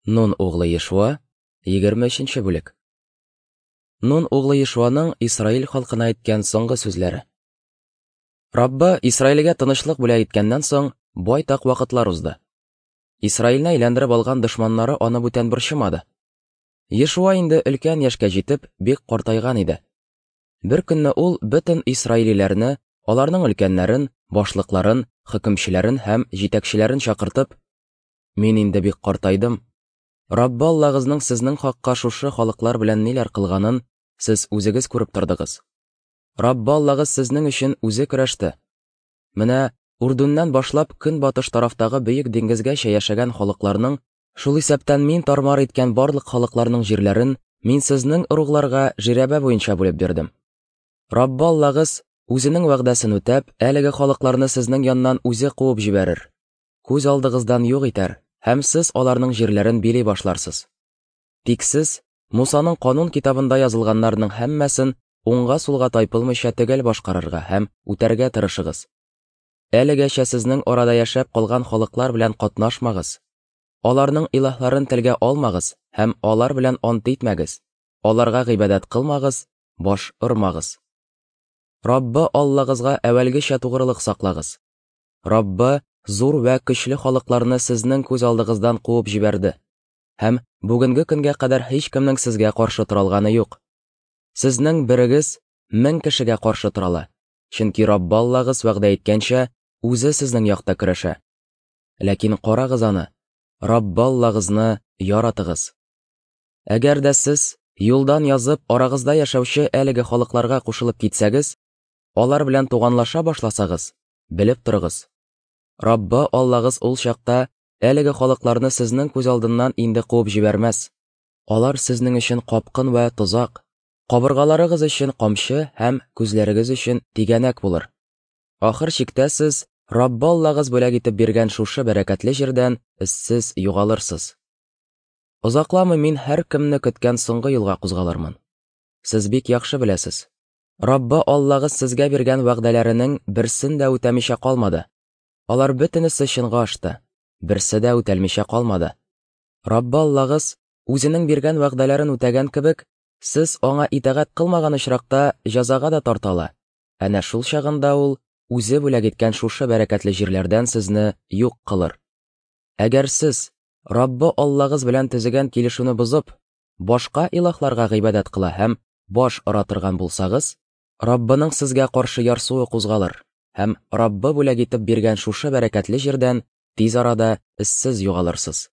Нун углы Ешуа, 23 бүлек. Нун углы Ешуаның Исраил халкына әйткән соңгы сүзләре. Раббы Исраилгә тынычлык бүләк иткәннән соң, байтак вакытлар узды. Исраилне әйләндереп алган дошманнары аны бүтән борчымады. Ешуа инде өлкән яшькә җитеп, бик картайган иде. Бер көнне ул бөтен исраилиләрне, аларның өлкәннәрен, башлыкларын, хөкемчеләрен һәм җитәкчеләрен чакыртып, Мин инде бик картайдым. Раббы Аллагызның сезнең хакка шушы халыклар белән ниләр кылганын сез үзегез күреп тордыгыз. Раббы Аллагыз сезнең өчен үзе көрәште. Менә Урдүннән башлап көнбатыш тарафтагы бөек диңгезгәчә яшәгән халыкларның, шул исәптән мин тармар иткән барлык халыкларның җирләрен мин сезнең ыругларга жирәбә буенча бүлеп бирдем. Раббы Аллагыз, үзенең вәгъдәсен үтәп, әлеге халыкларны сезнең яннан үзе куып җибәрер. Күз алдыгыздан юк итәр, һәм сез аларның җирләрен били башларсыз. Тик сез Мусаның канун китабында язылганнарның һәммәсен уңга-сулга тайпылмыйча төгәл башкарырга һәм үтәргә тырышыгыз. Әлегәчә сезнең арада яшәп калган халыклар белән катнашмагыз. Аларның илаһларын телгә алмагыз һәм алар белән ант итмәгез. Аларга гыйбадәт кылмагыз, баш ормагыз. Раббы Аллагызга әүвәлгечә тугрылык саклагыз. Раббы зур вә көчле халыкларны сезнең күз алдыгыздан куып җибәрде. Һәм бүгенге көнгә кадәр һичкемнең сезгә каршы тора алганы юк. Сезнең берегез 1000 кешегә каршы тора ала, чөнки Раббы Аллагыз вәгъдә иткәнчә, үзе сезнең якта көрәшә. Ләкин карагыз аны, Раббы Аллагызны яратыгыз. Әгәр дә сез, юлдан язып, арагызда яшәүче әлеге халыкларга кушылып китсәгез, алар белән туганлаша башласагыз, белеп торыгыз, Раббы Аллагыз ул чакта әлеге халыкларны сезнең күз алдыннан инде куып җибәрмәс. Алар сезнең өчен капкын вә тозак, кабыргаларыгыз өчен камчы һәм күзләрегез өчен тигәнәк булыр. Ахыр чиктә сез Раббы Аллагыз бүләк итеп биргән шушы бәрәкәтле җирдән эзсез югалырсыз. Озакламый мин һәркемне көткән соңгы юлга кузгалырмын. Сез бик яхшы беләсез, Раббы Аллагыз сезгә биргән вәгъдәләренең берсен дә үтәмичә калмады. Алар бөтенесе чынга ашты, берсе дә үтәлмичә калмады. Раббы Аллагыз үзенең биргән вәгъдәләрен үтәгән кебек, сез аңа итагать кылмаган очракта җәзага да тарта ала. Әнә шул чагында ул үзе бүләк иткән шушы бәрәкәтле җирләрдән сезне юк кылыр. Әгәр сез, Раббы Аллагыз белән төзегән килешүне бозып, башка илаһларга гыйбадәт кыла һәм баш ора торган булсагыз, Раббының сезгә каршы ярсуы кузгалыр һәм Раббы бүләк итеп биргән шушы бәрәкәтле җирдән тиз арада эзсез югалырсыз.